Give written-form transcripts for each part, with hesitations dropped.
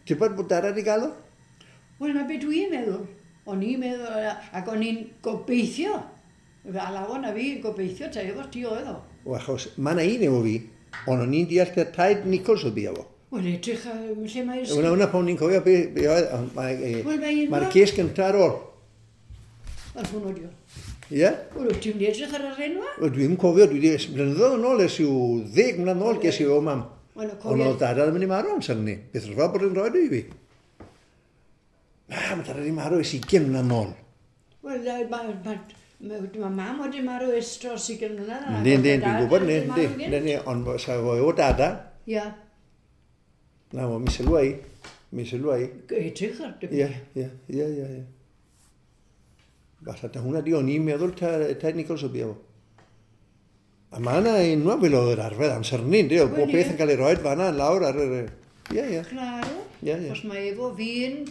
Ti'n bod bod dada di gael o? Wel, na be dwi'n meddwl. O'n i'n meddwl, ac o'n i'n gobeithio. Fe alawon a fi yn gobeithio ta efo ti oedd o. O, achos mae yna un efo fi, ond o'n i'n deall ta taid Nichols oedd bia fo. Wel, edrych lle mae'r... Hwna, hwnna pan o'n i'n cofio be, be oedd, ond Wel, mae un mae'r o'r- ces gyntaf ar ôl. Wel, hwnnw di o. Ie? Wel, wyt ti'n mynd i edrych ar yr enwa? Wel, dwi'n cofio, dwi wedi, blynyddoedd yn ôl, ers i'w 10 mlynedd yn ôl, ges i o mam. Wel, y Ond cofio... oedd dada ddim yn ei marw amser ni. Beth rhyfedd bod yn rhoi i fi. Na, mae dada wedi marw ers 20 mlynedd yn ôl. Wel, mae mam wedi marw ers dros 20 mlynedd. a Yndi, yndi, ma' dwi'n dad gwybod, wedi yndi, marw yndi, gynt. yndi, ond sa fo efo dada, Ia, na, fo, mi sylwa i, mi sylwa i. edrych ar... Ie, ie, ie, ie, ie. Falle ta hwnna di, o'n i'n meddwl ta, Ted Nichols o bia fo. A mae yna enwa fel oedd yr arfer amser ni, yndi, oedd Wel, bob beth ie. yn cael ei roed fan'na lawr ar yr... Ie, ie. Claro. Ie, ie. Os mae efo fi'n,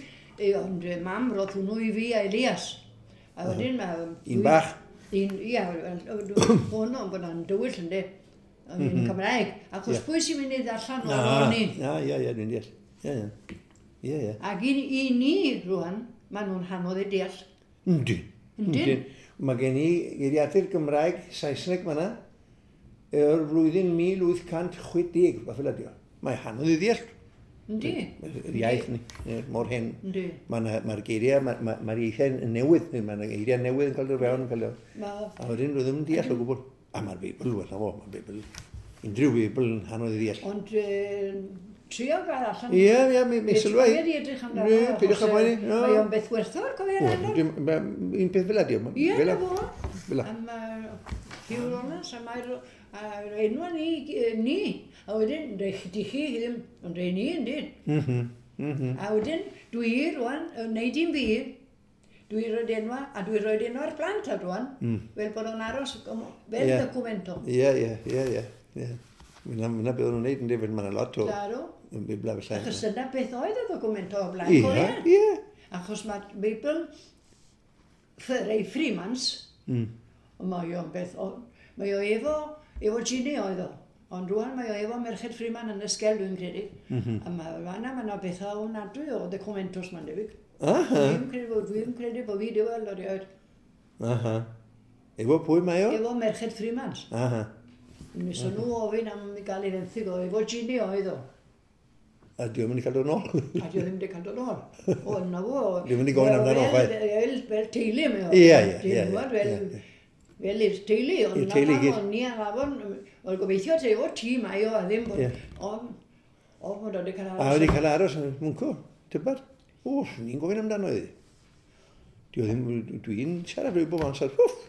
ond mam roedd hwnnw i fi a Elias. A wedyn mae... Un bach. Un, ia, hwn o'n bod o'n dywyll yndi. O'n i'n Cymraeg. Achos Ie. pwy sy'n mynd i ddarllen Na, o'r o'n i? na, ie, ie, dwi'n deall. Ie, ie. Ie, ie. Ac i ni rwan, maen nhw'n hanodd i deall. Yndi. Yndyn. Mae gen i geiriadur Gymraeg Saesneg fan'na, o'r flwyddyn 1860, fath fel ydi o. Mae hanodd i ddeall. Yndi. Yr iaith ni, ie, mor hen. Yndi. Mae'r ma geiriau, mae'r ma, ma ieithiau yn newydd, mae'r geiriau newydd yn cael eu fewn, yn cael eu... Ma- A wedyn rwy ddim yn deall o gwbl. A mae'r Beibl, wel, na fo, mae'r Beibl, unrhyw Beibl yn hanodd i ddeall. Ond trio gael allan. Ie, ie, mi sylwa i. Ti wedi edrych amdano. Ie, peidiwch â achos, poeni, no. Mae o'n beth werthfawr, cofio O, rhan. Un peth fel ydi o. Ie, fel na 'a. fo. Fel 'a. Am Hugh Rollins, a mae'r a'r enwa ni, ni. A wedyn, di chi ddim, ond rei ni yn dyn. Mhm. A wedyn, dwi rwan, yn neud i'n fi, dwi roed enwa, a dwi roed enwa'r plant ar rwan, fel bod o'n aros fel Ie. documento. Ie, ie, ie, ie. Ie. Myna beth o'n nhw'n neud yn dweud, mae'n lot o Claro. yn Beiblau felly. Achos dyna beth oedd y documento o blaen, Ie, cofio? ie. Achos mae Beibl rei Freemans, mae o'n beth, mae o efo, efo Gini oedd o. Ond rwan mae o efo Merched Freeman yn y sgel, dwi'n credu. A mae fanna, mae yna bethau ofnadwy o documentos ma'n debyg. Aha, Dwi'n credu bod fi wedi weld o rioed. aha. Efo pwy mae o? Efo Merched Freemans. Aha. Nes o'n nhw ofyn am i gael ei fenthyg o, efo Gini oedd o. A diolch mynd i cael dod nôl. A di o ddim wedi cael dod nôl. O, na fo. Di o'm wedi gofyn amdano chwaith. Fel teulu mae o. Ie, ie, Ti'n ie, gwbod, ie, Fel, ie. fel i'r teulu. Ond I'r na teulu i pam gyd. o'n ni ar afon, oedd gobeithio te, o ti mae o, a ddim bod... Ie. O, o, bod o wedi cael A wedi cael aros yn mwncw, tybad? O, ni'n gofyn amdano iddi. Di o ddim, dwi'n siarad rhyw bob amser, wff,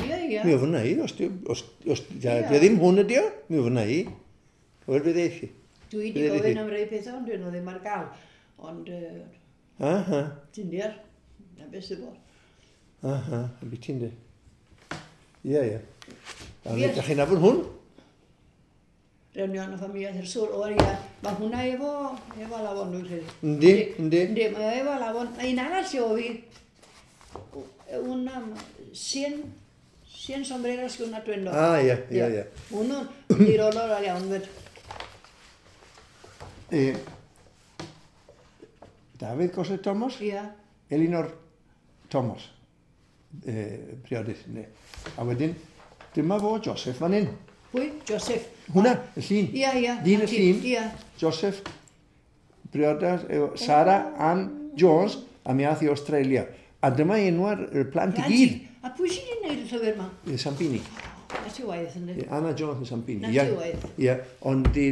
Ie, ie. mi ofynna i, os, di, os, os Ie. di o ddim hwn ydi o, mi ofynna i. Wel, bydd eich. Dwi wedi Bydd gofyn hi. am rai pethau, ond dyn nhw ddim ar gael. Ond, Aha, ti'n deall, na beth sy'n bod. aha, a beth ti'n di. Ie, ie. A Ie. ydych chi'n nabod hwn? Reunion o Familia del Sur, o ia, mae hwnna efo, efo Alafon dwi'n credu. Yndi, yndi. Yndi, mae o efo Alafon. Mae un arall o fi, una, 100 sombreros que un atuendo. Ah, ie, ie, ie. Hwnnw'n diddorol iawn fyd. Dafydd Goslett Thomas? Ia. Elinor Thomas, priodus, ynddi. A wedyn, dyma fo Joseph fan hyn. Pwy? Joseph. Hwna, y llun. Ia, ia. Dyn y Na ti, llun. Ia. Joseph, priodas, efo Sarah Ann Jones, a mi ath i Australia. A dyma enw'r plant i gyd. A pwy sydd wedi gwneud y llyfr yma? Sampini. Na ti waith, ynddi? Anna Jones yn Sampini. Na Ie, ti waith. Ie, ond di,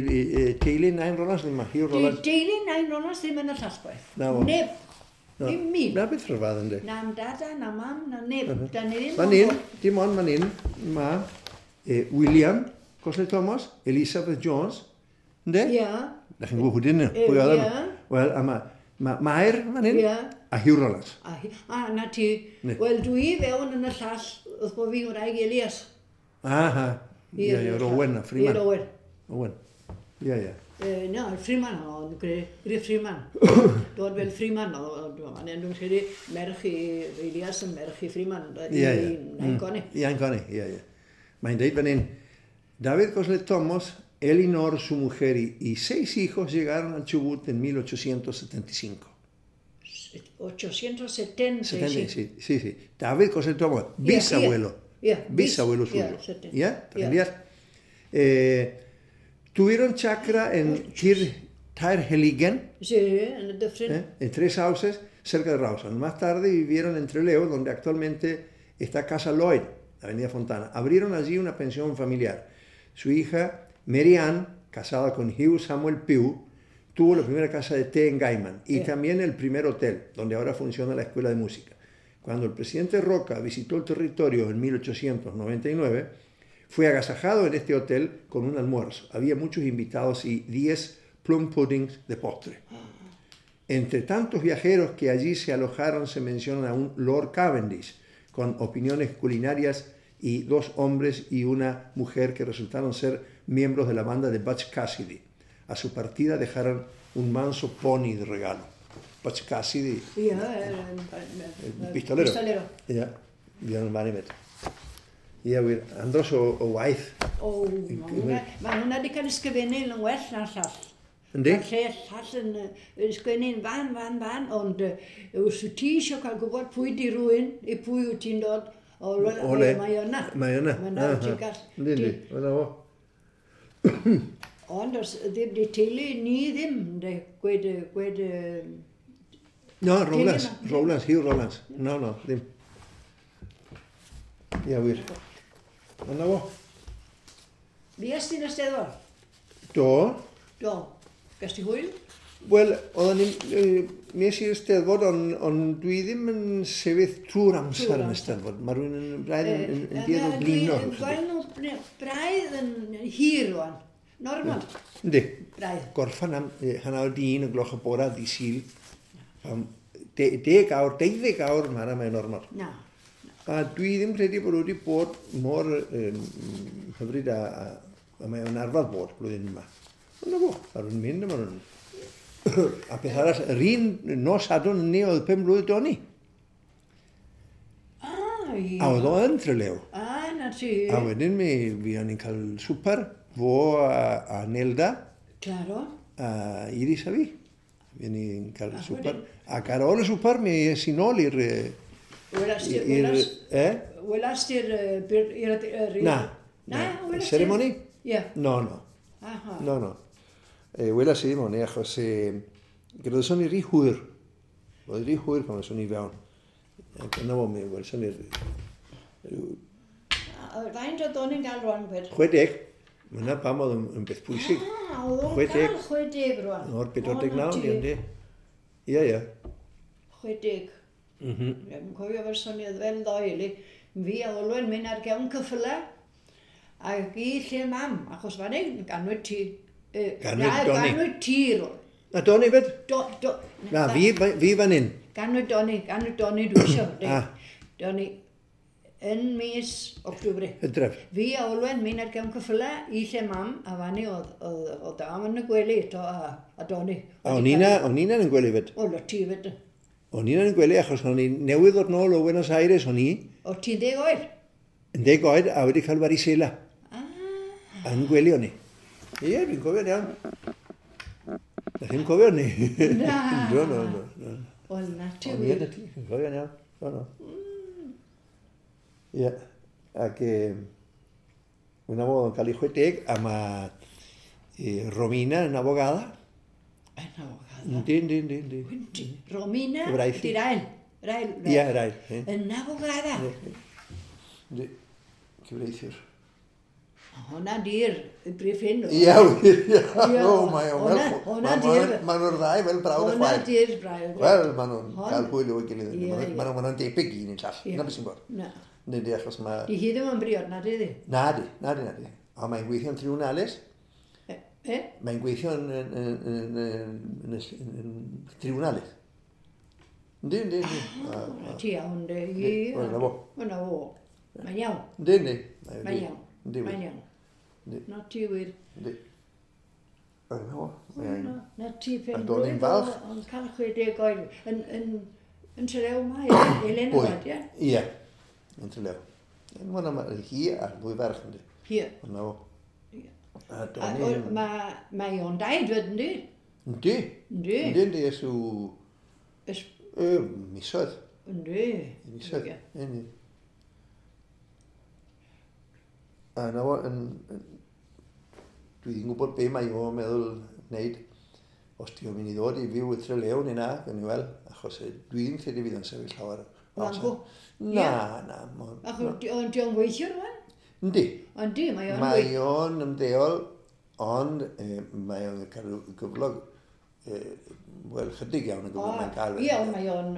teulu Nain Rolas ddim yma, Hugh Di Rolas. deulu Nain Rolas ddim yn y llasgwaith. Na fo. Neb. Na. Dim mi. Na beth rhyfedd yndi. Na am dada, na mam, na neb. Da ni ddim. Fan hyn, dim ond fan hyn, mae William Goslett Thomas, Elizabeth Jones, ynddi? Ia. Da chi'n gwybod pwy dyn nhw, Ie, pwy oedd nhw. ie. Wel, a mae ma Mair fan hyn, Ie. a Hugh Rollins. A, na ti. Ne. Wel, dwi fewn yn y llall, wrth bod fi'n wraig Elias. Aha, ie, ie, I'r Owen a Freeman. I'r Owen. Owen, ie, ie. Na, Freeman oedd, Griff Freeman. Dod fel Freeman oedd, ond dwi'n credu merch i Elias yn merch i Freeman. Ie, ie. Nain Goni. Ie, Goni, ie, ie. Mae'n deud fan hyn, Dafydd Goslett Thomas Elinor, su mujer y 6 hijos llegaron al Chubut en 1875. 875. Sí, sí. David Cosel Thomas, bisabuelo. Yeah, bisabuelo suyo. ¿Ya? Tuvieron chacra en Tirheligen, sí, en, en 3 sauces, cerca de Rawson. Más tarde vivieron en Trelew, donde actualmente está Casa Lloyd, Avenida Fontana. Abrieron allí una pensión familiar. Su hija, Mary Ann, casada con Hugh Samuel Pugh, tuvo la primera casa de té en Gaiman y también el primer hotel, donde ahora funciona la escuela de música. Cuando el presidente Roca visitó el territorio en 1899, fue agasajado en este hotel con un almuerzo. Había muchos invitados y 10 plum puddings de postre. Entre tantos viajeros que allí se alojaron se menciona a un Lord Cavendish, con opiniones culinarias y 2 hombres y una mujer que resultaron ser miembros de la banda de Butch Cassidy. A su partida dejaron un manso pony de regalo. Butch Cassidy, el pistolero. Ya, Ie, wir, andros o waith. O, mae hwnna wedi cael ysgrifennu yn well na'r llall. Yndi? Mae'r lle llall yn ysgrifennu'n fan, ond os wyt ti eisiau cael gwybod pwy di rhywun, i pwy wyt ti'n dod, o le, mae yna. Mae yna. Mae yna, ti'n gall. Yndi, yndi, yna fo. Ond os ddim di teulu ni ddim, de, gweud... No, Rowlands, Hugh Rowlands. No, ddim. Ie, wir. Yna fo. Fuest ti'n Eisteddfod? Do. Do. Ges ti hwyl? Wel, oedden ni... Nes i'r Eisteddfod, ond dwi ddim yn sefyll trwy'r amser yn Eisteddfod. Mae rhywun yn braidd yn duedd o blino. Dwi'n gweld nhw braidd yn hir rwan. Normal. Yndi. Braidd. Gorffan am 1:30 y gloch y bora ddydd Sul. 10 awr, 12 awr, mae'n normal. Na. A dwi ddim credu bod wedi bod mor hyfryd a mae o'n arfer bod blwyddyn yma. Ond na fo, ar nhw'n mynd yma nhw'n... A beth arall, yr un nos Sadwrn ni oedd 5 mlwydd Doni. Ah, ie. A oedd o yn Trelew. Ah, na ti. A wedyn mi fuon ni'n cael swper, fo a Nelda. Claro. A Iris a fi. Fuon ni'n cael swper. Ac ar ôl y swper mi es i nôl i'r... Welas ti'r... Na. Na? Ceremony? Ie. No, no. No, no. Welas i ddim o'n i, achos gyrraeddon ni rhy hwyr. Oedd rhy hwyr pan o'n i fewn. Ac yna fo mi, welson ni'r... Faint oedd o'n i'n gael rwan, gwed? 60. Mae yna pam oedd yn beth pwysig. Ah, oedd o'n gael 60 rwan. O'r 49, yndi. Ie, ie. 60. Dwi'n cofio fel soniad fel ddoe, li. Fi a Olwen mynd ar gefn cyffylau ac i lle mam, achos fan hyn, ganwyd ti. Ganwyd Doni. Ganwyd ti, rwan. Na, Doni fyd? Do. Na, fi fan hyn. Ganwyd Doni dwi eisiau. Doni, yn mis October. Hydref. Fi a Olwen mynd ar gefn cyffylau i lle mam, a fan hyn oedd dam yn y gwely eto a Doni. A o'n i'n yn gwely fyd? O, lo ti fyd. O'n i'n yn gwely achos o'n i newydd ddod nôl o Buenos Aires, o'n i. O ti'n 10 oed? Yn 10 oed a wedi cael varicela. Ah. Yn gwely o'n i. Ie, dwi'n cofio'n iawn. Na chi'n cofio ni? Na. No, no, no. Wel, na ti wir. O'n i, na ti, dwi'n cofio'n iawn. No, no. Ie, ac una fo yn cael ei 60 a mae Romina yn abogada. Yn abogada? Yndi, yndi, yndi. Romina, di'r ail. Ie, yr ail. Yn abogada. Yndi, cyfreithiwr. Hwna di'r brif hyn. Ie, wir, ie. O, mae o'n fel... Maen nhw'r ddau fel brawd a chwaer. Hwna di'r brawd. Wel, maen nhw'n cael hwyl o'i gilydd. Maen nhw'n debyg un i'n llall. Na beth sy'n bod. Na. Yndi, achos mae... Di hi ddim yn briod, na di? Na di, na di, na di. A mae'n gweithio'n tribunales. E? Mae'n gweithio yn tribunales. Yndi, yndi, yndi. Ah, ti iawn, di. Wel, na fo. Wel, na fo. Mae'n iawn. Yndi, yndi. Mae'n iawn. Mae'n iawn. Na ti wir. Yndi. Wel, na fo. Na ti pen blwydd ond cael 60 oed. Yn Trelew mae, Elena Wad, ie? Ie, yn Trelew. Wel, hi a'r ddwy ferch, yndi. Hi. Wel, na fo. A do'n i... Mae o'n daid wedyn di? Yndi. Yndi. Yndi, yndi, ers yw... Misoedd. Yndi. Misoedd, yndi. A na fo, dwi ddim yn gwybod be mae o'n meddwl wneud. Os di o'n mynd i ddod i fyw y Trelew neu na, gawn ni weld, achos dwi ddim credu fydd o'n sefyll llawer. Wango? Na, na. Achos di o'n gweithio rwan? Yndi. Yndi, mae o'n Mae o'n ymddeol, ond mae o'n cael gyflog, wel, chydig iawn y gyflog mae'n cael. Ie, ond mae o'n...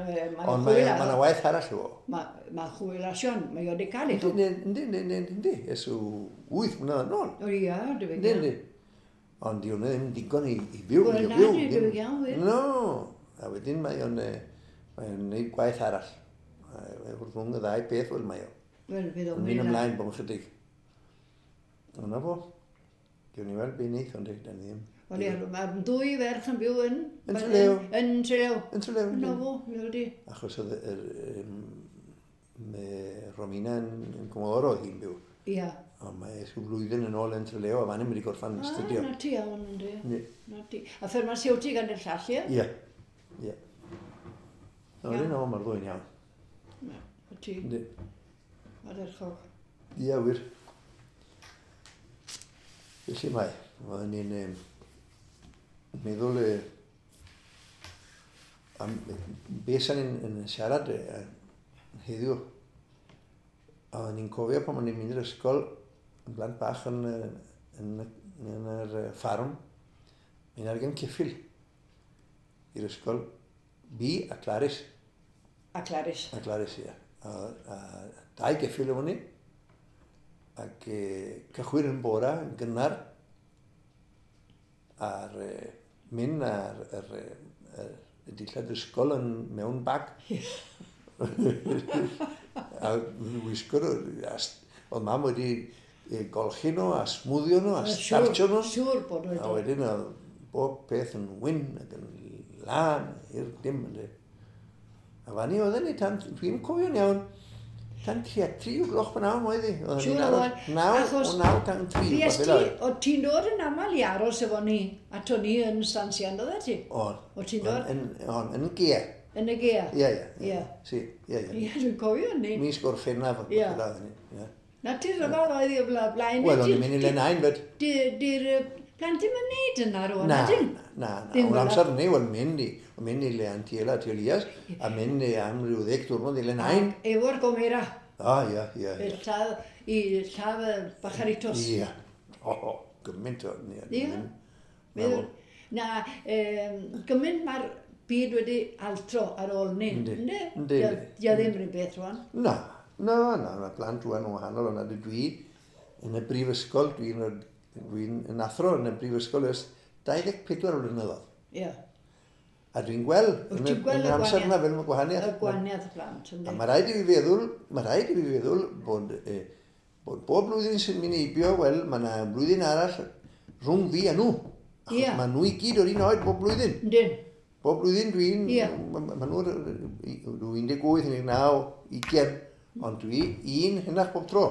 Ond mae yna waith arall o. Mae chwyl asion, mae o'n cael ei. Yndi, yndi, yndi, yndi, ers 8 mlynedd yn ôl. O ia, debyg iawn. Yndi, yndi. Ond di hwnna ddim digon i fyw. Wel, na, debyg iawn, wir. No, a wedyn mae o'n gwneud gwaith arall. Rhwng y ddau beth, wel, mae o. Wel, fydd o'n mynd ymlaen bod yn chydig. Yna fo. Gewn ni weld be wneith, ond da ni ddim. Wel, ie, mae'r ddwy ferch yn byw yn... Yn Trelew. Yn Trelew. Yn Trelew. Yna fo, mi wedi. Achos oedd Romina yn Comodoro oedd hi'n byw. Ia. Ond mae rhyw flwyddyn yn ôl yn Trelew, a fan hyn wedi gorffan astudio. Na ti iawn, yndi. Na ti. A ffarmasiwtig yn y llall, ie? Ie. Ie. No, no, mae'r ddwy'n iawn. Na, ti. Yndi. Ardderchog. Ie, wir. Felly mae, oedden ni'n meddwl am beth sa'n ni'n siarad heddiw. Oedden ni'n cofio pan o'n i'n mynd i'r ysgol yn blant bach yn yr ffarm, mi'n argen ceffyl i'r ysgol, fi a Claris. A Claris. A Claris, ie. A dau geffyl efo ni. Ac cychwyn yn bora, yn gynnar, a'r mynd ar y dillad ysgol yn mewn bag. A wisgo nhw, oedd mam wedi golchi nhw, a smwddio nhw, a startio nhw. Siŵr bod nhw. A wedyn oedd bob peth yn wyn ac yn lân i'r dim. A fan i oedden ni tan, dwi'n cofio'n iawn, tan tua 3 o'r gloch pan oedd hi. Siŵr oedd. 9 tan 3. Fues ti, o ti'n dod yn aml i aros efo ni, a to ni yn Stansian, oedd ti? On. O ti'n dod? On, yn y gea. Yn y gea? Ie, ie. Si, ie, ie. Ie, dwi'n cofio ni. Mis Gorffennaf. Ie. Na ti rhyfedd oedd i o blaen. Wel, o'n i'n mynd i le nain, fyd. Di'r plant ddim yn neud yna rwan, Na, na, na. O'n amser ni, wel, mynd i le Antiela, Elias, a mynd am ryw 10 diwrnod i le nain. Efo'r gomera. O, ie, ie. I lladd y bacharitos. Ie. O, gymaint o... Ie. Na, gymaint mae'r byd wedi altro ar ôl ni. Yndi. Yndi. Dio ddim rhywun beth rwan. Na, na, na. Mae plant rwan yn wahanol, ond dwi yn y brifysgol, dwi'n athro yn y brifysgol ers 24 blynyddoedd. Ie. A dwi'n gweld yn yr amser yna fel mae gwahaniaeth. Y gwahaniaeth y plant, yndi. A mae rhaid i fi feddwl, bod bob blwyddyn sy'n mynd heibio, wel, mae yna blwyddyn arall rhwng fi a nhw. Achos mae nhw i gyd o'r un oed bob blwyddyn. Yndyn. Bob blwyddyn dwi'n... Mae nhw'n 18, 19, 20, ond dwi un hynach bob tro.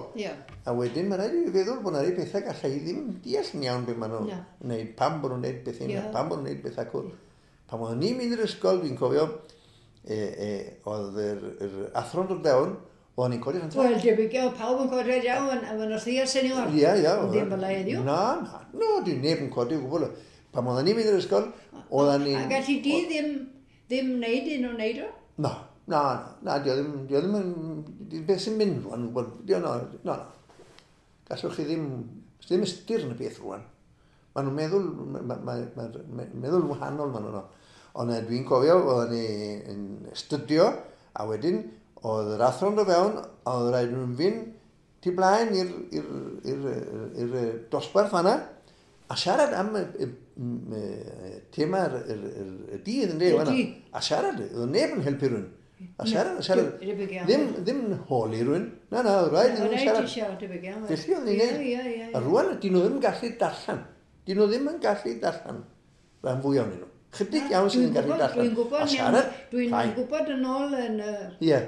A wedyn mae rhaid i fi feddwl bod yna rhai pethau gallai ddim deall yn iawn beth maen nhw'n gwneud, pam bod nhw'n gwneud beth hyn, pam bod nhw'n gwneud beth acw. Pan oeddwn ni'n mynd i'r ysgol, dwi'n cofio, oedd yr athro'n dod fewn, oeddwn ni'n codi rhan. Wel, debyg iawn, pawb yn codi iawn, a maen nhw'n thea senior. Ie, ie. Ddim fel heddiw. Na, na, no, dwi'n neb yn codi o gwbl. Pan oeddwn ni'n mynd i'r ysgol, oedden ni'n... A gallu di ddim wneud un o'n wneud o? Na, na, na, dio ddim yn... Beth sy'n mynd rwan, dio, na, na. Gallwch chi ddim... Ddim ystyr yn y beth rwan. Maen nhw'n meddwl, meddwl wahanol maen nhw'n. Ond dwi'n cofio, oedden ni yn astudio, a wedyn oedd yr athro'n dod fewn, a oedd rhaid nhw'n fynd tu blaen i'r dosbarth fanna, a siarad am y thema y dydd yn dweud. A siarad, oedd neb yn helpu rhywun. A siarad, a siarad. Ddim yn holi rhywun. Na, na, oedd rhaid nhw'n siarad. Felly oedd ni'n neud. A rwan, dyn nhw ddim yn gallu darllen. Dyn nhw ddim yn gallu darllen rhan fwyaf ohonyn nhw. Chydig iawn sydd yn gallu darllen. Dwi'n gwybod A siarad, Dwi'n llai. gwybod yn ôl yn... Ie.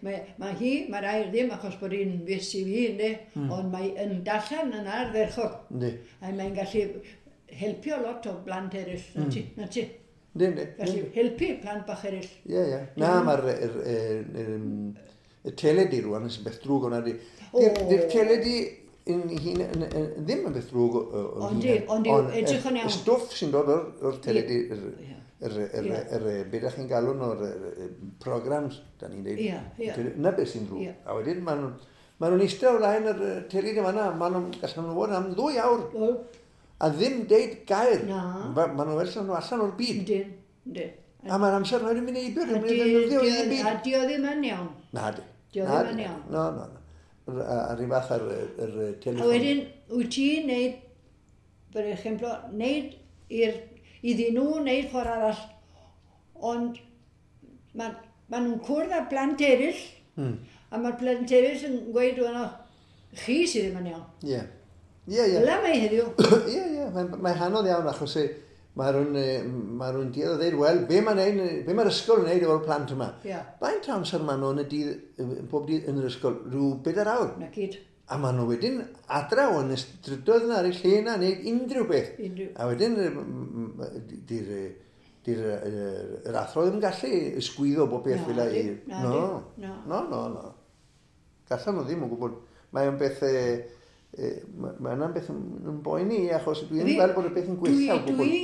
Mae hi, mae rai ddim achos bod hi'n fus i fi, ynddi, ond mae yn darllen yn ardderchog. Yndi. A mae'n gallu helpu lot o blant eraill, na ti, na ti. Yndi, yndi. Gallu helpu plant bach eraill. Ie, ie. Na, mae'r y teledu rwan yn beth drwg o'na di. O. Di'r teledu yn hun, ddim yn beth drwg o'n Ond di, ond di, edrych yn iawn. Y stwff sy'n dod o'r teledu, Ie. be da chi'n galw nhw'r programs, da ni'n deud. Ie, ie. Na beth sy'n drwg. Ie. A wedyn, maen nhw'n eistedd o flaen yr teledu fan'na, maen nhw'n gallan nhw fod am 2 awr. O, A ddim deud gair. Na. Maen nhw fel nhw allan o'r byd. yndyn, yndyn. A mae'r amser wedi mynd heibio, A dwi'n mynd i ddefnyddio di- i byd. a di o ddim yn iawn. Na di. Di o Na ddim yn di. iawn. No, no, no. A rhywun fath ar yr telefon. A wedyn, wyt ti'n neud, per exemplo, neud iddyn nhw neud ffordd arall, ond ma nhw'n cwrdd â plant eraill, a mae'r plant eraill yn gweud, "Wel, chi sydd ddim yn iawn." Ie. Ie, ie. Fel mae heddiw. Ie, ie. Mae'n anodd iawn achos mae rhywun duedd o ddeud, wel, be mae'r ysgol yn neud efo'r plant yma? Ie. Faint amser maen nhw yn y dydd, pob dydd yn yr ysgol? Rhyw 4 awr. Na gyd. A maen nhw wedyn adra o yn y strydoedd yna, ar y lle yna, neud unrhyw beth. Unrhyw. A wedyn, di'r yr athro ddim yn gallu ysgwyddo bob beth Na, fel di, i... na, No, di, na. no, no, no. Gallan nhw ddim o gwbl. Mae o'n beth... Mae yna'n beth yn boeni achos dwi'n gweld bod y beth yn gweithio o gwbl.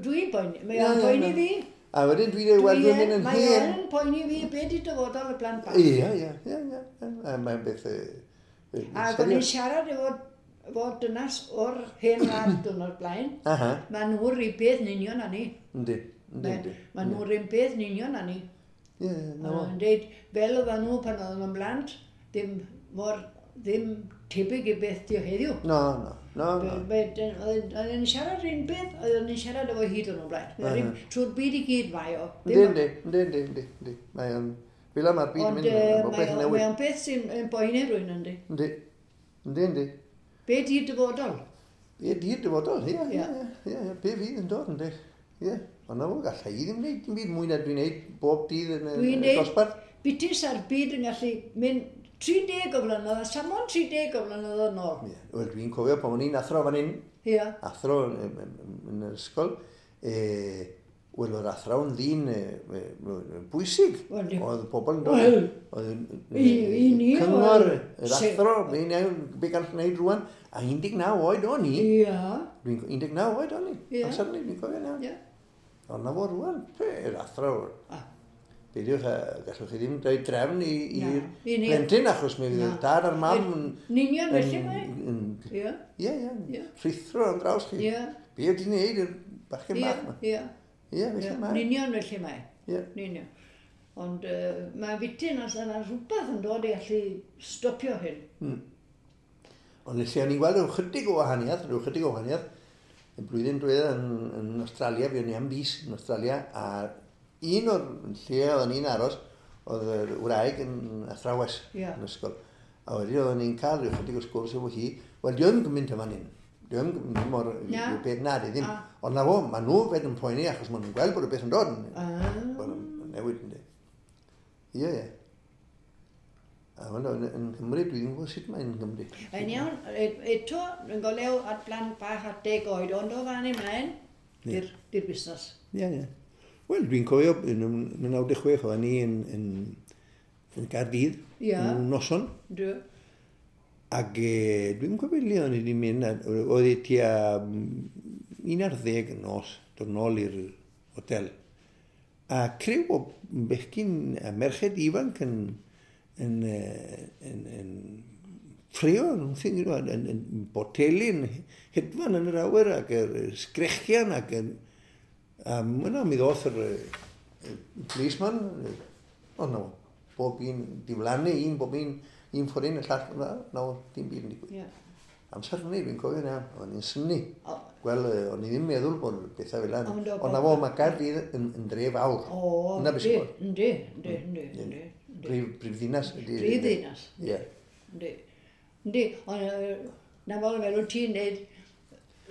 Dwi'n boeni. Mae Ie, o'n ie, poeni na. fi. A wedyn dwi'n dweud, wel, dwi'n mynd yn Mae hen. o'n poeni fi be di dyfodol y plant bach. Ie, ie, ie, ie. A mae'n beth Ac o'n i'n serious. siarad efo dynas o'r hen wlad diwrnod blaen. Aha, Mae nhw'r un peth yn union â ni. yndi, yndi, yndi. Mae nhw'r un peth yn union â ni. Ie, ie, na fo. Yn deud, fel oedden nhw pan oedden nhw'n blant, ddim mor, ddim tebyg i beth di o heddiw. No, no, no, no. Oedden ni'n siarad un beth, oedden ni'n siarad efo hyd yn o'r blaen. Trwy'r byd i gyd mae o. Yndi, yndi, yndi, yndi, yndi, yndi. Mae o'n... Fel yma mae'r byd yn Ond mynd, mae beth yn mae newid. o'n beth sy'n yn boeni rhywun yndi. Yndi, yndi, yndi. Be di dyfodol? Be di'r dyfodol, ie, ie, Ie. ie, ie, be fydd yn dod, yndi. Ie, ond na fo, galla i ddim wneud dim byd mwy na dwi'n neud bob dydd yn Dwi'n y neud dosbarth. bitis ar byd yn gallu mynd 30 o flynedd, a samon 30 o flynedd yn ôl. Ie, wel, dwi'n cofio pan o'n i'n athro fan hyn, Ie. athro yn yr ysgol, wel, oedd athro yn ddyn bwysig. Wel, di- Oedd pobl yn dod. Wel, Oedd i ni cyngor, oedd- yr athro, be gall wneud rwan, a 19 oed o'n i. Ie. Dwi'n 19 oed o'n i. Ie. Amser ni, dwi'n cofio nawr. Ie. Ond na fo rwan, yr athro. Ah. Beidiwch, gallwch chi ddim dweud drefn Na, i'r i ni. plentyn, achos mi fydd Na. y dad a'r mam yn... Yn union felly mae. Ie. Ie, ie, Ie. rhuthro am draws chi. Ie. Be ydy wneud i'r bachgen Ie. bach yma? Ie. Ie, felly Yn mae. union felly mae. Ie. Yn union. Ond mae fityn os yna rhywbeth yn dod i allu stopio hyn. Ond lle o'n i'n gweld rhyw chydig o wahaniaeth, y blwyddyn diwetha yn Australia, fi o'n i am fis yn Australia, a un o'r lle oedden ni'n aros, oedd yr wraig yn athrawes Ie. yn ysgol. A wedyn oedden ni'n cael rhyw chydig o sgwrs efo hi, wel, di o'n mynd yma hyn. Di o'n mynd mor Na. rhyw beth na, di ddim. Ah. Ond na fo, maen nhw fed yn poeni achos maen nhw'n gweld bod y beth yn dod. Ah. Bod yn newid yndi. Ie, ie. A wel, yn Nghymru, dwi ddim yn gwybod sut mae'n Nghymru. Yn iawn, eto, yn golew at blant bach at 10 oed, ond o fan ymlaen, di'r busnes. Ie, ie. Wel, dwi'n cofio, yn 96, oedden ni yn Gaerdydd, Ie. yn noson, Dwi. ac dwi'n cofio le o'n i wedi mynd, oedd e tua 11 nos, dod nôl i'r hotel. A criw o bechgyn a merched ifanc yn ffrio, yn boteli, yn hedfan yn yr awyr ac yr sgrechian ac yn... A yna mi ddoth yr policeman, o no, bob un diflannu, un, bob un, un ffordd un, y llall, na, no, dim byd yn digwydd. Ie. Amser hynny, dwi'n cofio na, o'n i'n synnu. O. Wel, o'n i ddim meddwl bod bethau fel yna. Ond o- Ond na fo, mae Gaerdydd yn dref fawr. O, Yna beth sy'n bod. yndi, yndi, yndi, yndi. Prif ddinas. Prif ddinas. Ie. Yndi. Yndi, ond na fo fel wyt ti'n neud,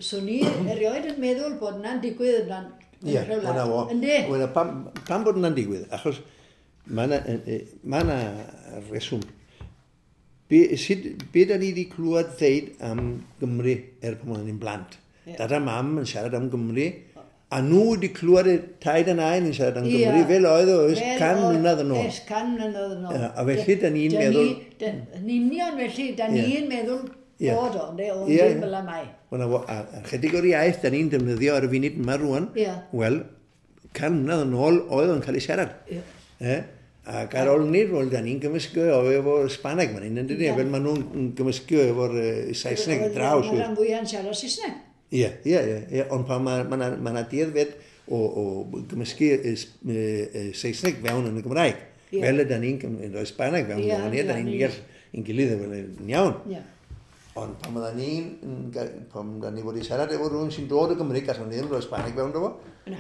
swn i erioed yn meddwl bod na'n digwydd Ie, hwnna fo. Yndi? Wel, pam bod hwnna'n digwydd? Achos mae yna reswm. Be da ni wedi clywed ddeud am Gymru er pan oedden ni'n blant? Ie. Dad a mam yn siarad am Gymru, a nhw wedi clywed y taid a nain yn siarad am Ie. Gymru fel oedd o ers Fel 100 mlynedd yn ôl. Ers 100 mlynedd yn ôl. Ie, a felly da ni'n meddwl- Yn union felly, da Ie. ni'n meddwl Ie. bod o, ynddi, ond Ie, ddim ie. fel y mae. Wel, a chydig o'r iaith da ni'n defnyddio ar y funud yma rwan, Ie. wel, 100 mlynedd yn ôl oedd o'n cael ei siarad. Ie. Eh? Ac ar ôl ni, wel, da ni'n gymysgu o efo'r Spaneg fan hyn, yn dydi? Yndan. Fel maen nhw'n gymysgu efo'r Saesneg draw. Mae'r rhan fwyaf yn siarad Saesneg. Ie, ie, ie, ie, ond pan mae ma 'na ma 'na dueddfed o gymysgu Saesneg fewn yn y Gymraeg. Ie. Fel ydy ni'n rhoi Spaneg fewn, Ie, yeah, da ni'n ie, deall ein gilydd efo yn iawn. Ie. Ond pan oedden ni'n, pan oedden ni wedi siarad efo rhywun sy'n dod o Gymru, gallwn ni ddim rhoi Spaneg fewn, do fo? Na.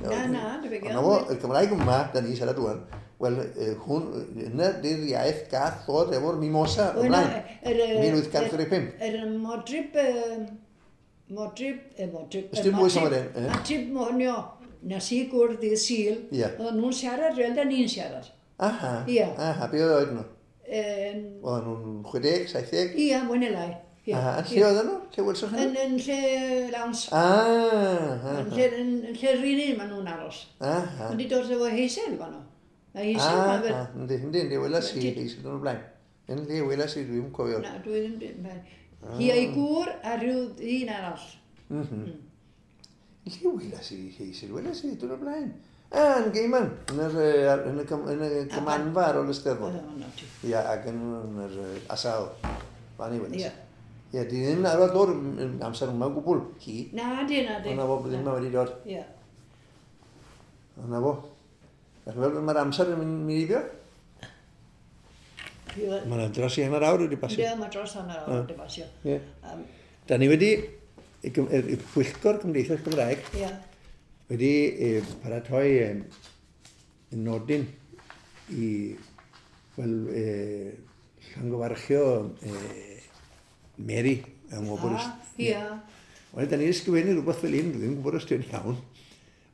Na, na, dwi'n Ond na fo, y Gymraeg yma, da ni'n siarad rwan, wel, hwn, yna di'r iaith gath ddod efo'r mimosa Wel, na, ymlaen. yr, 1835. Yr modryb, modryb, modryb... Ys dim bwys am yr un, eh? Modryb monio, nes i gwrdd dydd Sul, Ie. oedden nhw'n siarad fel da ni'n siarad. Aha, Ie. aha, be oedd oed nhw? Yym, Oedden nhw'n 60, 70? Ie, mwy neu lai. Ie. Aha, yn lle oedden nhw? Lle welsoch chi Yn, nhw? yn lle lawns. Ah, Yn lle, yn lle rili maen nhw'n aros. aha. Ond di dod efo Hazel fan nhw. A Hazel Ah, ma fel... ah, yndi, yndi, yndi, welas i, Ti- Hazel yn y blaen. Yndi, welas i, dwi'n cofio. Na, dwi ddim... Hi a'i gŵr a rhyw un arall. Lle welas i Hazel? Welas i, dwi'n y blaen. Ah, yn Gaiman, yn yr, yn y, yn y gymanfa ar ôl y Steddfod. Oedd o'n ti. Ia, ac yn yr asal. Fan i welas. Ie. Ie, di ddim arfer dod yn amser yma o gwbl, hi. Na, di, na, di. Ond na fo, ddim yma wedi dod. Ie. Ond na fo. Dach chi'n gweld mae'r amser yn mynd heibio? Ie, Mae yna dros i hanner awr wedi pasio. Ie, mae dros hanner awr wedi pasio. Ie. Yym, Da ni wedi, y Pwyllgor Cymdeithas Gymraeg Ie. wedi paratoi nodyn i, wel, llongyfarchio Mary yng ngwobr. Ah, Ie. Wel, da ni'n ysgrifennu rhywbeth fel un, dwi'n gwybod os dwi'n iawn.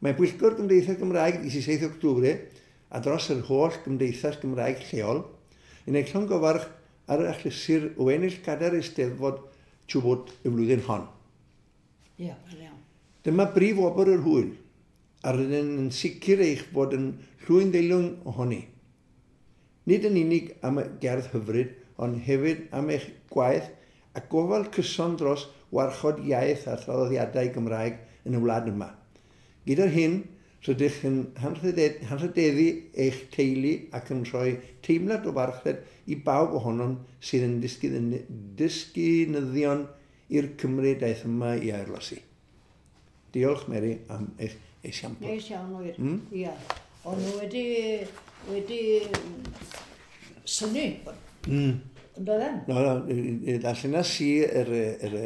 Mae Pwyllgor Gymdeithas Gymraeg 17 October a dros yr holl Gymdeithas Gymraeg lleol yn ei llongyfarch ar yr achlysur o ennill gadair Eisteddfod Chubut y flwyddyn hon. Ie, mae'n iawn. Dyma brif wobr yr hwyl, a rydyn yn sicr eich bod yn llwyn deilwng ohoni. Nid yn unig am y gerdd hyfryd, ond hefyd am eich gwaith a gofal cyson dros warchod iaith a thraddodiadau Gymraeg yn y wlad yma. Gyda'r hyn, rydych yn hanrhydeddu eich teulu ac yn rhoi teimlad o farchnad i bawb ohonom sydd yn disgynyddion i'r Cymru daeth yma i airlosi. Diolch, Mary, am eich esiampl. Neis iawn wir. Ie. O'n nhw wedi synnu. Ond oedden? No, no, darllenas i yr, yr,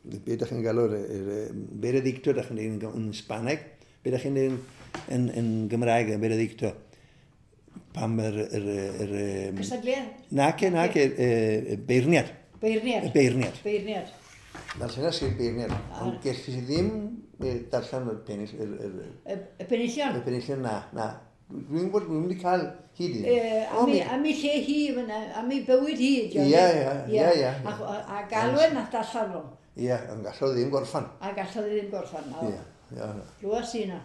be ydych chi'n galw, yr veredicto, ydych chi'n dweud yn Spaneg, be ydych chi'n dweud yn Gymraeg, y veredicto. Pam yr... Cystadleuaeth? Nace, nace, beirniad. Beirniad. Y beirniad. Beirniad. Darllenas i'r beirniad, ond gellis i ddim darllen y pennill, Y penillion? Y penillion, na, na. Dwi'n gwybod, dwi'n mynd i cael hyd i. Am ei lle hi, am ei bywyd hi. Ie, ie, ie, ie. A galwen nath allan nhw. Ie, ond gallodd ddim gorffan. A gallodd ddim gorffan, na. Ie, ie. Glwas i na.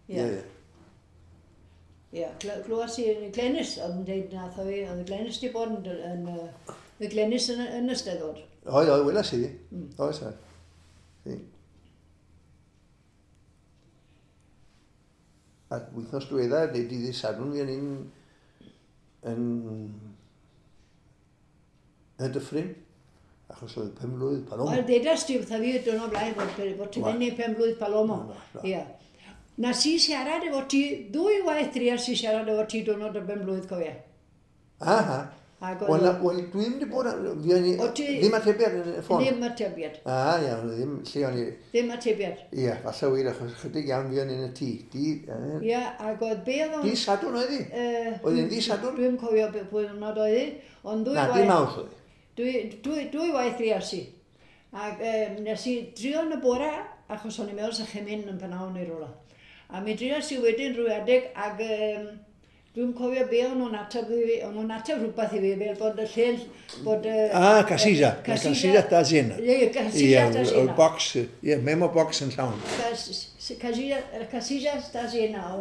Ie, ie. Ie, glwas i Glenys, oedd yn dweud nath o fi, oedd Glenys di bod yn, oedd Glenys yn y Steddfod. Oedd, oedd, welas i di. Oedd, oedd. A wythnos diwetha, neu dydd Sadwrn, fi o'n i'n yn y dyffryn, achos oedd 5 mlwydd Palomo. Wel, ddedas ti wrtha fi y diwrnod blaen bod ti'n mynd i 5 mlwydd Palomo. Ie. Na si siarad efo ti, ddwy waith drias si siarad efo ti diwrnod y 5 mlwydd, cofia. Aha. Wel, dwi ddim wedi bod, fi o'n i, ddim atebiad yn y ffôn. Ddim atebiad. Ah, iawn, ddim, lle o'n i... Ddim atebiad. Ie, falle wir, achos chydig iawn fi o'n i'n y tŷ. Ie, ac oedd be oedd o'n... Di Sadwrn oedd hi? Oedd hi'n di Sadwrn? Dwi'n cofio pwy diwrnod oedd hi, ond ddwy waith... Na, di Mawrth oedd hi. Dwy waith drias i. Ac nes i drio yn y bore, achos o'n i'n meddwl sa chi'n mynd yn pnawn neu rywle. A mi drias i wedyn rhyw adeg, ac dwi'n cofio be o'n nhw'n ateb i fi, o'n nhw'n ateb rhywbeth i fi, fel bod y lle, bod y... Ah, casilla. La casilla está llena. Ie, casilla está llena. Y box, ie, memo box yn llawn. Casilla está llena,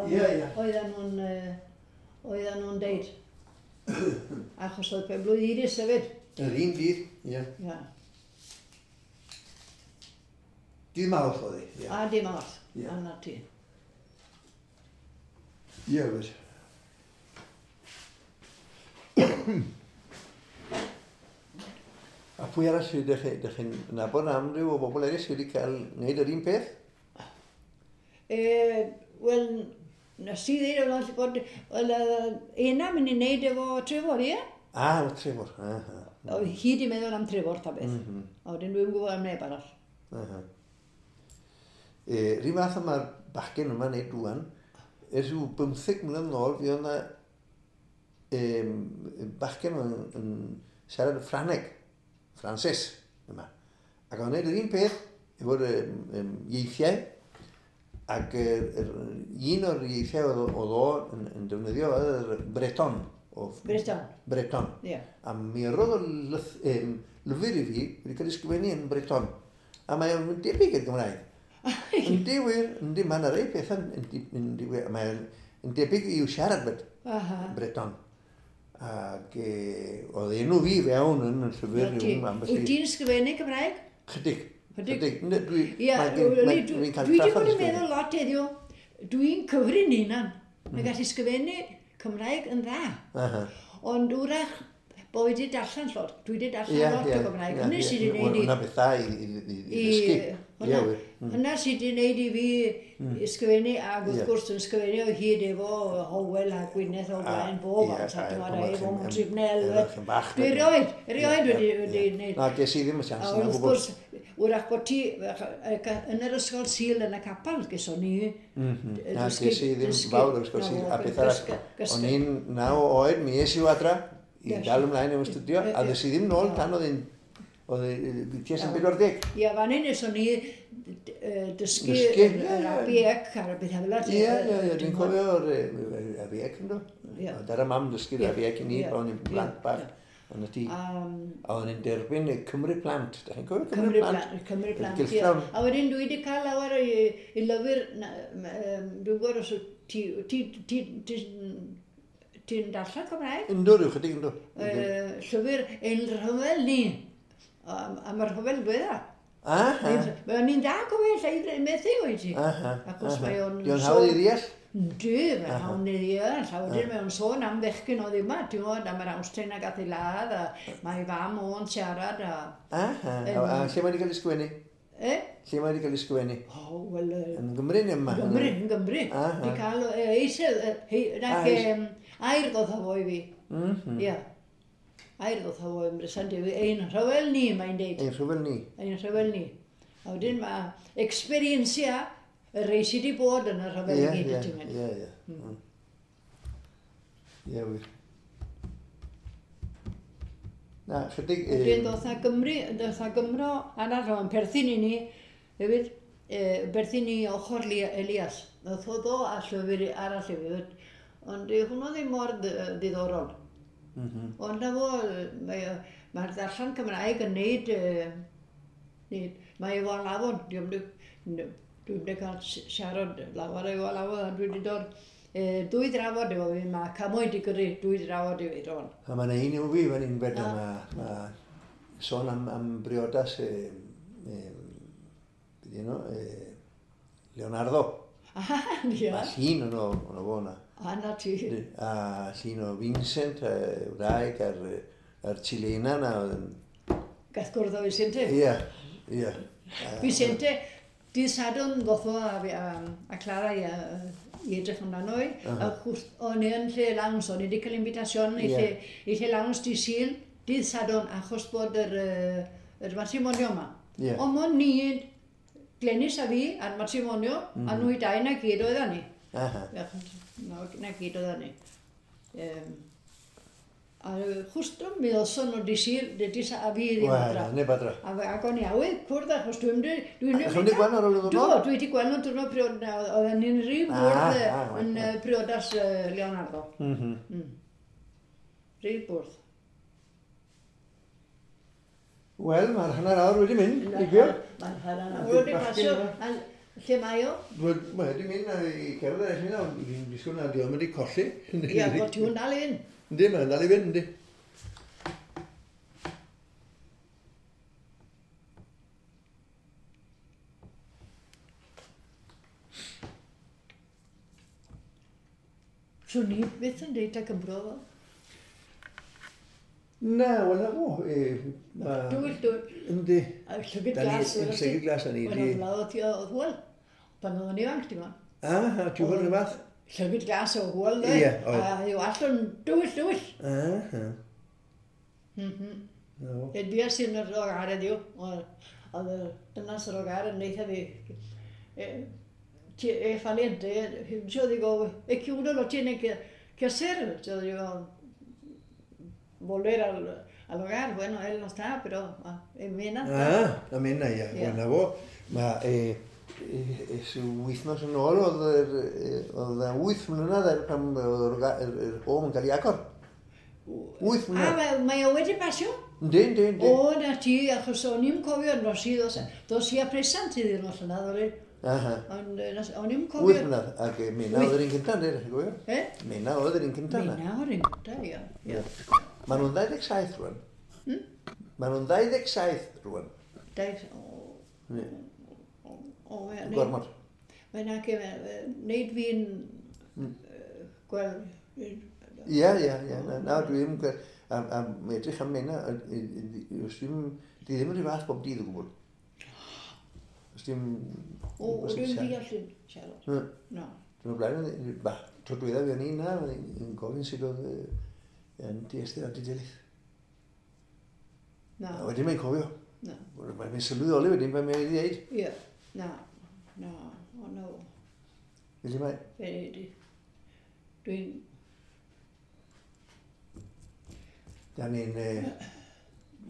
oedden nhw'n deud. Achos oedd pen-blwydd Iris hefyd. Yr un dydd, ie. Ie. Dydd Mawrth oedd hi, ie. A dydd Mawrth, a na ti. Ie, wir. A pwy arall sydd ydych chi'n nabod am ryw o bobl eraill sydd wedi cael wneud yr un peth? Wel, nes i ddweud bod Ena mynd i wneud efo Trefor, ie? Ah, efo Trefor, aha. Oedd hi wedi meddwl am Trefor ta beth. A wedyn dwi'n gwybod am neb arall. Aha. Rhyw fath yma'r bachgen yma'n neud rwan, ers rhyw 15 mlynedd nôl, fi oedd yna bachgen yn siarad Ffrangeg, Ffrances yma. Ac oedd yn neud yr un peth efo'r ieithiau, ac un o'r ieithiau oedd o yn defnyddio oedd yr Breton. Breton. Breton. Yeah. A mi roedd o lyfr i fi wedi cael ei sgrifennu yn Breton. A mae o'n debyg i'r Gymraeg. Yndi wir, yndi, mae yna rei pethau yndi wir, mae'n debyg i'w siarad fyd, Breton. Ac oedd enw fi fewn yn y llyfr rhyw ambell i... Wyt ti'n sgrifennu Cymraeg? Chydig. Chydig. Dwi'n cael Dwi wedi bod yn meddwl lot heddiw, dwi'n cyfri'n hunan. Mae'n gallu sgrifennu Cymraeg yn dda. Ond wrach, bo fi wedi darllen lot. Dwi wedi darllen lot o Gymraeg. Hynny sydd wedi gwneud i... Hwna beth dda i ddysgu. Hynna sydd wedi gwneud i fi ysgrifennu, ac wrth gwrs yn ysgrifennu o hyd efo Howell a Gwyneth o blaen bob amser, ti'n gwybod, efo Tribunal. Dwi erioed wedi gwneud. Na, ges i ddim y chance yna o gwbl. Wrth gwrs, wrach bod ti yn yr ysgol Sul yn y capel, geson ni. Na, ges i ddim fawr o'r ysgol Sul, a beth arall. O'n i'n 9 oed, mi es i adra, i dal ymlaen efo studio, a ddes i ddim nôl tan oedd hi'n tua sy'n 40. Ie, fan hyn nes o'n i dysgu yr ABEC a'r beth fel yna. Ie, ie, dwi'n cofio'r ABEC ynddo. Oedd ar y mam dysgu'r ABEC i ni, pan o'n i'n blant bach. Ond ydy, a o'n i'n derbyn y Cymru Plant. Da chi'n cofio Cymru Plant? Cymru Plant, ie. A wedyn dwi wedi cael lawer i lyfr, dwi'n gwybod os ti'n darllen Cymraeg? Ynddo, rhyw chydig ynddo. Llyfr Ein Rhyfel Ni. A mae'r rhyfel dwedda. Aha. Mae o'n un da gofio, lle methu oed ti. Aha. Achos mae o'n... Di o'n hawdd i ddeall? Yndi, mae'n hawdd i ddeall. A wedyn mae o'n sôn am fechgyn oedd yma, ti'n gwybod, am yr Awstrin a gath ei ladd, a mae fam o'n siarad. Aha. A lle mae wedi cael ei sgwennu? E? Lle mae wedi cael ei sgwennu? O, wel... Yn Gymru neu yma? Gymru, yn Gymru. Di cael eisel, air ddoth o fo i fi. Ie. Air ddoth o fo yn bresant i fi. Ein rhyfel ni, mae'n deud. Ein rhyfel ni. Ein rhyfel ni. A wedyn mae experiencia y rei sydd wedi bod yn y rhyfel i gyd, ti'n mynd. Ie, ie. Ie, wir. Na, chydig... Wedyn ddoth na Gymru, ddoth na Gymro arall o'n perthyn i ni, hefyd, perthyn i ochr Elias. Ddoth o ddo a llyfr arall hefyd, ond hwnnw ddim mor ddiddorol. Ond na fo, mae'r darllen Cymraeg yn neud, mae efo alawon, dwi'n wedi cael siarad lawer efo alawon, a dwi wedi dod dwy drafod efo fi, mae cymoedd i gyrru dwy drafod i fi rwan. A mae'n un i'w fi fan hyn fed, mae sôn am briodas, beth yno, Leonardo. Ie. Mae llun o'n fo yna. A na ti. A llun o Vincent, wraig, a'r Chilena na. Gath gwrdd o Vicente? Ie, ie. Vicente, dydd Sadwrn ddoth o a Clara i edrych amdano i. A o'n i yn lle lawns, o'n i wedi cael invitasion i lle lawns dydd Sul, dydd Sadwrn, achos bod yr matrimonio yma. Ond o'n ni, Glenys a fi, a'r matrimonio, a nhw i dau na gyd oedden ni. Aha. Na gyd oedden ni. A justo mi ddoson nhw di Sul, dudis a fi ddim adra. Wel, neb adra. Ac o'n i awydd cwrdd achos dwi'n Dwi'n wedi gweld ar ôl y ddwrnod? Do, dwi wedi gweld nhw'n diwrnod priod, oedden ni'n rhyw bwrdd yn priodas Leonardo. Rhyw bwrdd. Wel, mae'r hanner awr wedi mynd, heibio. Mae'r hanner awr wedi pasio. Lle mae o? Wel, mae wedi mynd i cerdded eich mynd, ond fi'n disgwyl na di o'm wedi colli. Ie, bod ti'n dal i fynd. Yndi, mae'n dal i fynd, yndi. Swn i byth yn deud ta Cymro fo. Na, wel na fo. Dwyll, dwyll. Yndi. A llygyd glas. Llygyd glas, ni. Wel, oedd oedd ti oedd hwyl. Pan oeddwn i ifanc, ti'n gwybod. Ah, ti'n gwybod rhywbeth fath? Llygyd glas o hwyl, dde. Ie, oedd. A yw allan dwyll, dwyll. Ah, Mhm. Edwias i'n yr ogaredd yw. Oedd y dynas yr ogaredd yn eitha fi. E valiente, yo digo, es que uno lo tiene que hacer. Yo digo, volver al hogar, bueno, él no está, pero en Mena está. Ah, en Mena, ia. Yeah. Wel, na fo, mae, es wythnos yn ôl oedd y 8 mlynedd er pan oedd yr home yn cael ei agor. 8 mlynedd. Ah, mae o wedi pasio? Yndi, yndi, yndi. O, na ti, achos o'n i'n cofio, dos i a presant iddyn nhw allan oedd. Aha. Ond o'n i'n cofio... 8 mlynedd, ac Mena oedd yr un cyntaf, ynddi, cofio? E? Mena oedd yr un cyntaf. Mena oedd yr un cyntaf, ia. Maen nhw'n 27 rwan. Maen nhw'n 27 rwan. O, Gormod. Mae'n ac wneud fi'n gweld... Ie, ie, ie. Na, dwi ddim yn gweld... A edrych am Mena, di ddim yn rhyw fath bob dydd o gwbl. Os dim... O, dwi'n deall yn siarad. No. Dwi'n blaen, tro dwetha fi o'n i na, yn gofyn sut oedd yn di Esther a di Delyth. Na. A wedyn mae'n cofio. Na. Mae'n sylweddoli wedyn pan mae'n dweud. Ie. Na. Na. O, no. Felly mae... Dwi'n... Da ni'n...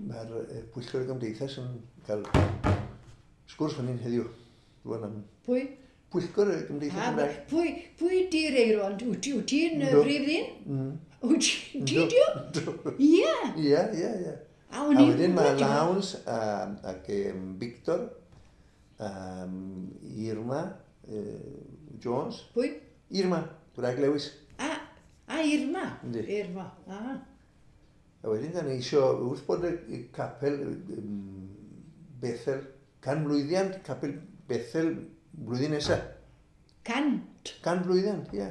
Mae'r pwyllgor y gymdeithas yn cael sgwrs fan hyn heddiw. Rwan am... Pwy? Pwyllgor y Gymdeithas Gymraeg. Pwy di'r Eiron? Wyt ti'n brif ddyn? Wyt ti di o? Ie. Ie, ie, ie. A A wedyn mae Lawns ac Victor, Irma Jones. Pwy? Irma, Gwraig Lewis. A Irma? Yndi. Irma, a. A wedyn da ni isio, wrth bod y capel Bethel, canmlwyddiant capel Bethel blwyddyn nesaf. Cant? Canmlwyddiant, ie.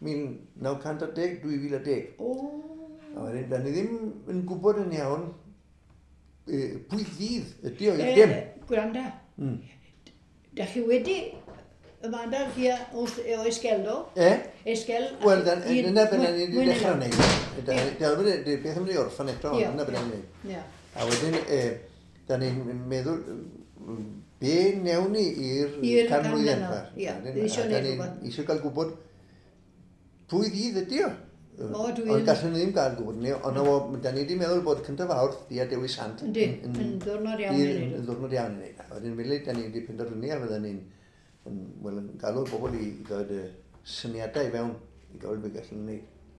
1910, 2010. O. A wedyn, da ni ddim yn gwybod yn iawn pwy ddydd ydy o i'r dim. Gwranda, da chi wedi ymadael hi wrth o Esgeldo? E? Esgel... Wel, dyna beth ni wedi dechrau wneud. Beth am wedi orffen eto, ond dyna beth ni'n wneud. A wedyn, da ni'n meddwl, be newn ni i'r canmlwyddiant yma? Ie, eisiau neud rhywbeth. Eisiau cael gwybod pwy ddydd ydy o. O, dwi'n... Ond gallwn ni ddim gael gwybod ni, ond da ni wedi meddwl bod cyntaf Fawrth, di a Dewi Sant. Yndi, yn ddwrnod iawn i wneud. Yn ddwrnod iawn i wneud. A wedyn, felly, da ni wedi penderfynu a fydden ni'n galw bobl i ddod syniadau i fewn i gael beth gallwn ni wneud.